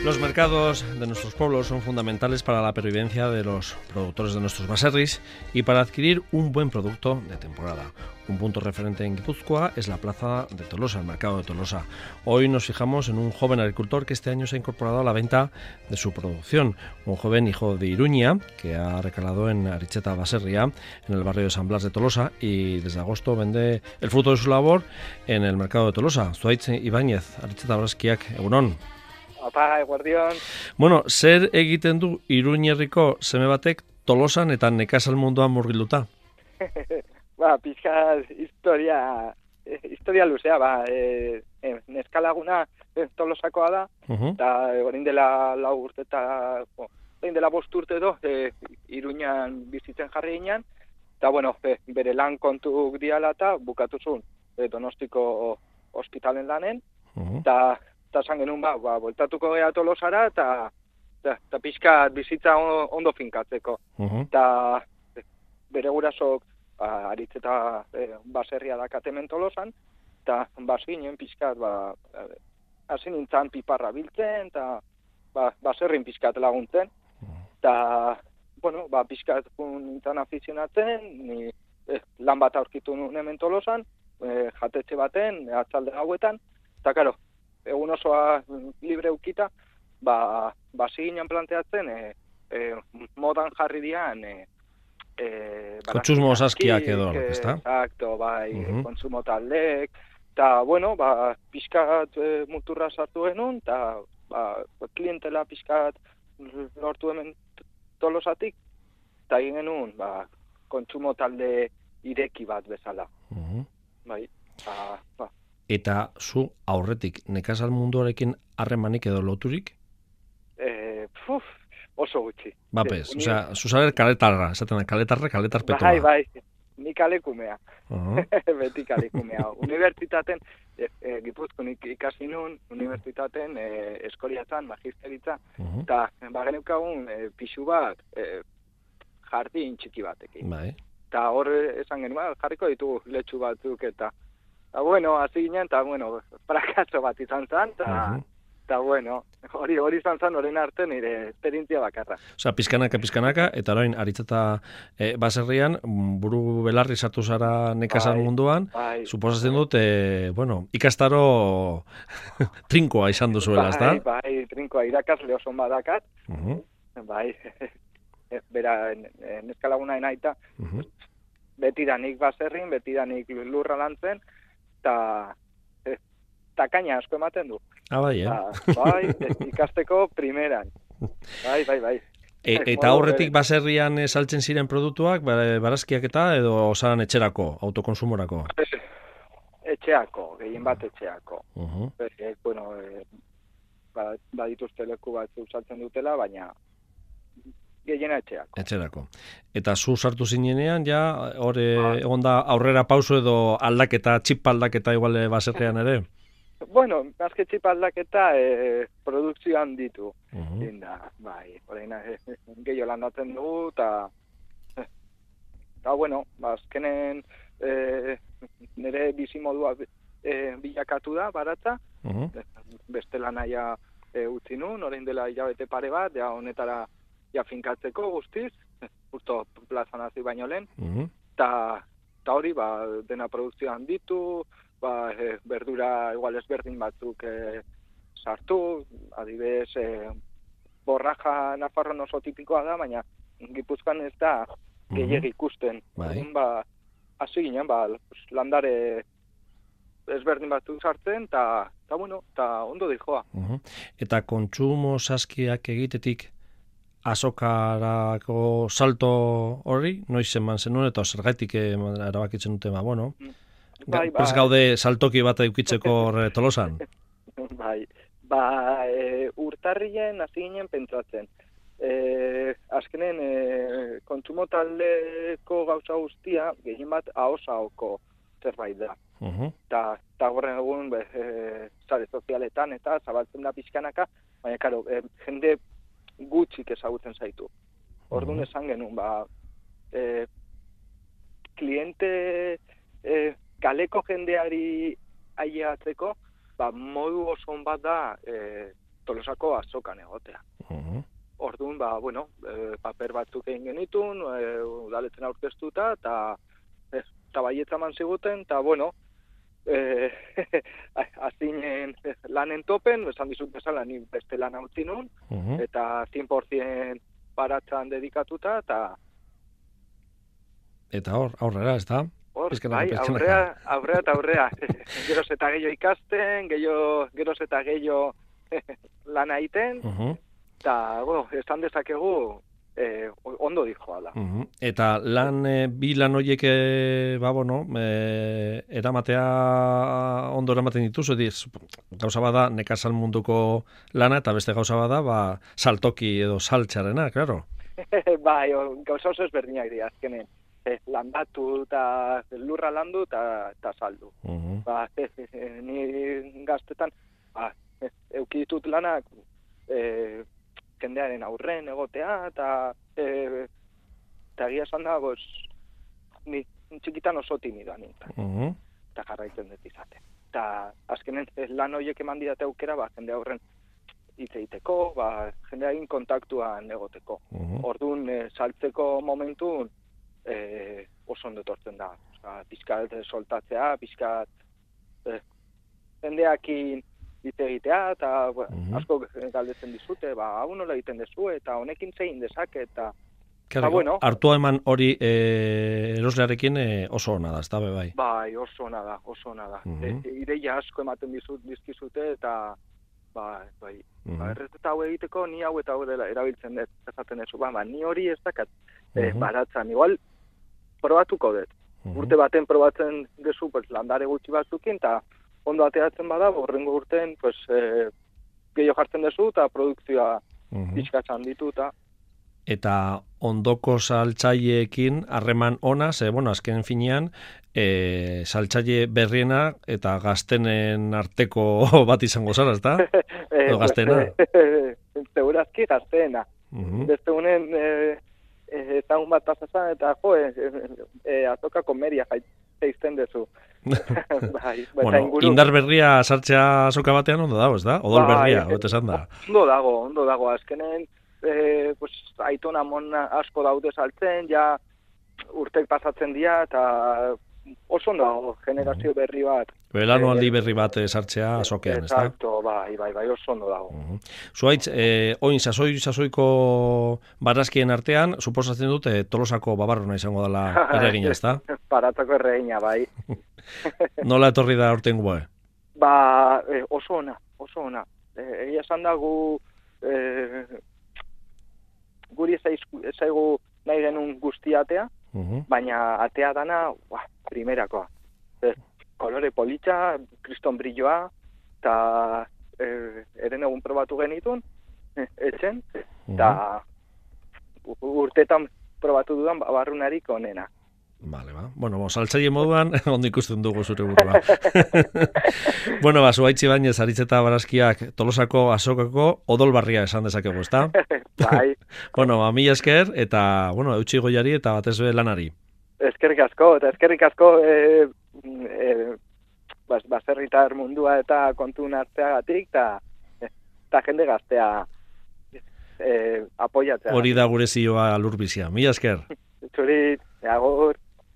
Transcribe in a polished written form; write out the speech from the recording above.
Los mercados de nuestros pueblos son fundamentales para la pervivencia de los productores de nuestros baserris y para adquirir un buen producto de temporada. Un punto referente en Guipúzcoa es la plaza de Tolosa, el mercado de Tolosa. Hoy nos fijamos en un joven agricultor que este año se ha incorporado a la venta de su producción. Un joven hijo de Iruña que ha recalado en Aritzeta Baserria, en el barrio de San Blas de Tolosa, y desde agosto vende el fruto de su labor en el mercado de Tolosa. Zuaitz Ibáñez, Aritzeta Baskiak, egunon. Apa, eguardion. Bueno, zer egiten du Iruñerriko seme batek Tolosan eta nekazal munduan murgilduta? Pixka historia luzea, neskalaguna Tolosakoa da, eta orain dela 4 urte eta orain dela 5 urte edo Iruñan bizitzen jarri ginen, eta bere lan kontuk diala eta bukatu zuen Donostiko ospitalen lanen, eta esan genuen bueltatuko gea Tolosara eta pixka bizitza ondo finkatzeko. Eta bere gurasok Aritzeta baserria dakatemen Tolosan, eta bazinen pixkat hasi nintzen piparra biltzen, eta baserrin pixkat laguntzen. Eta, pixkat nintzen afizionatzen, ni lan bat aurkitu nuen hemen Tolosan, jatetxe baten, atzalde gauetan, eta karo, egun osoa libre ukita, basi ginen planteatzen, modan jarri dian, kontsumo saskiak edo, ezta? Exacto, kontsumo taldek, eta, pixkat muturra sartu genuen, eta klientela pixkat lortu hemen Tolosatik, eta egin genuen, kontsumo talde ireki bat bezala. Eta zu aurretik nekazal munduarekin harremanik edo loturik? Oso gutxi. Bapes, zu saber kaletarra, esaten da, kaletar petoa. Bai, ni kalekumea. Beti kalekumea. Unibertsitaten, Gipuzkoan ikasi nun, unibertsitaten eskoliatzen, magisteritza, eta geneukagun pixu bat jardin txiki batekin. Bai. Eta hor esan genuen, jarriko ditugu letxu batzuk, eta hasi ginen, eta frakaso bat izan zen, eta hori izan zen horrein arte nire esperientzia bakarra. Osea, pizkanaka, eta orain Aritzeta baserrian, buru belarri sartu zara nekazal munduan, suposatzen dut, ikastaro trinkoa izan duzuela, ezta? Bai, trinkoa, irakasle oso badakat, bera neskalagunaen aita, betidanik baserrin, betidanik lurra lantzen, eta kaina asko ematen du. Bai, ikasteko primeran. Bai. Eta aurretik baserrian saltzen ziren produktuak, barazkiak edo osan etxerako, autokonsumorako? Etxeako, gehien bat etxeako. Badituzte leku bat saltzen dutela, baina gehiena etxeako. Etxerako. Eta zu sartu zinenean, hor egon da aurrera pauso edo aldaketa, txip aldaketa igual baserrian ere? Azke txip aldaketa produkzioan ditu. Horrein gehiago landatzen dugu, eta azkenen nire bizimodua bilakatu da, baratza, beste lanaia utzi nun, horrein dela hilabete pare bat, honetara finkatzeko guztiz, justo plazan hasi baino lehen, eta hori dena produkzioan ditu, berdura igual ezberdin batzuk sartu, adibidez, borraja Nafarroan oso tipikoa da, baina Gipuzkoan ez da gehiegi ikusten. Hasi ginen, landare ezberdin batzuk sartzen, eta ondo dijoa. Eta kontsumo saskiak egitetik azokarako salto hori, noiz eman zenuen, eta zergaitik erabakitzen dute, prest gaude saltoki bat edukitzeko Tolosan? Urtarrien hasi ginen pentsatzen. Azkenen kontsumo taldeko gauza guztia, gehien bat ahosahoko zerbait da. Eta horren egun sare sozialetan eta zabaltzen da pixkanaka, baina karo, jende gutxik ezagutzen zaitu. Orduan esan genuen, kliente kaleko jendeari ailegatzeko, modu oso bat da Tolosako azokan egotea. Orduan, paper batzuk egin genitun, udaletzen aurkeztuta, eta baietza eman ziguten, eta azinen lanen topen, esan dizut bezala, ni beste lan hautzi nun, eta 100% baratzan dedikatuta, eta aurrera, ez da? Aurrea. Geroz eta gehiago ikasten, geroz eta gehiago lan egiten, eta, esan dezakegu, ondo dijoala. Eta bi lan horiek, eramatea ondo eramaten dituzu, gauza bada nekazal munduko lana, eta beste gauza bada, saltoki edo saltxarena, klaro? Bai, gauza oso ezberdinak dira, azkenen. Landatu eta lurra landu eta saldu. Ni gaztetan, euki ditut lanak, jendearen aurren egotea, eta egia esan da, ni txikitan oso timidoa nintzen. Eta jarraitzen dut izaten. Eta azkenen lan horiek eman didate aukera, jende aurren hitz egiteko, jendearekin kontaktuan egoteko. Orduan, saltzeko momentun, oso ondo etortzen da. Pixkat soltatzea, pixkat jendeakin hitz egitea, eta asko galdetzen dizute, hau nola egiten dezu, eta honekin zein dezake, eta hartua eman hori eroslearekin oso ona da, ez da, bai? Bai, oso ona da. Ideia asko ematen dizkizute, eta errezeta hau egiteko, ni hau eta hau dela erabiltzen dut, esaten dezu, ni hori ez dakat baratzan, igual probatuko dut. Urte baten probatzen dezu, landare gutxi batzukin, eta ondo ateratzen bada, horrengo urten gehiago jartzen dezu, eta produkzioa pixkatzen ditu, eta ondoko saltzaileekin harreman ona, azken finean, saltzaile berriena eta gaztenen arteko bat izango zara, ez da? Edo gaztena? Segurazki gaztena. Beste unen, eta un bat pasazan, eta azoka komeria jaizten dezu. Indar berria sartzea azoka batean ondo dago, ez da? Odol berria, bete esan da. Ondo dago, azkenen, aiton amon asko daude saltzen, ja urtek pasatzen dira, eta oso ondo generazio berri bat. Belanualdi berri bat sartzea azokean, ez da? Exacto, bai, oso ondo dago. Zuaitz, oin sasoiko barazkien artean, suposatzen dut Tolosako babarrona izango dela erregina, ez da? Baratzako erregina, bai. Nola etorri da aurtengoa? Oso ona. Egia esan da guri ezaigu nahi genuen guztiatea, baina atea dana, primerakoa. Kolore politxa, kriston brilloa, eta eren egun probatu genitun, etxen, eta urtetan probatu dudan barrunarik onena. Vale, saltzaile moduan, ondo ikusten dugu zure burua. Zuaitzi Bainez, Aritzeta Barazkiak Tolosako azokako odolbarria esan dezakegu, ezta? Bai. Mila esker, eta, eutxi goiari eta batez be lanari. Eskerrik asko, baserritar mundua eta kontun hartzeagatik, eta jende gaztea apoiatzea. Hori da gure zioa lurbizia. Mila esker. Zuri, agur.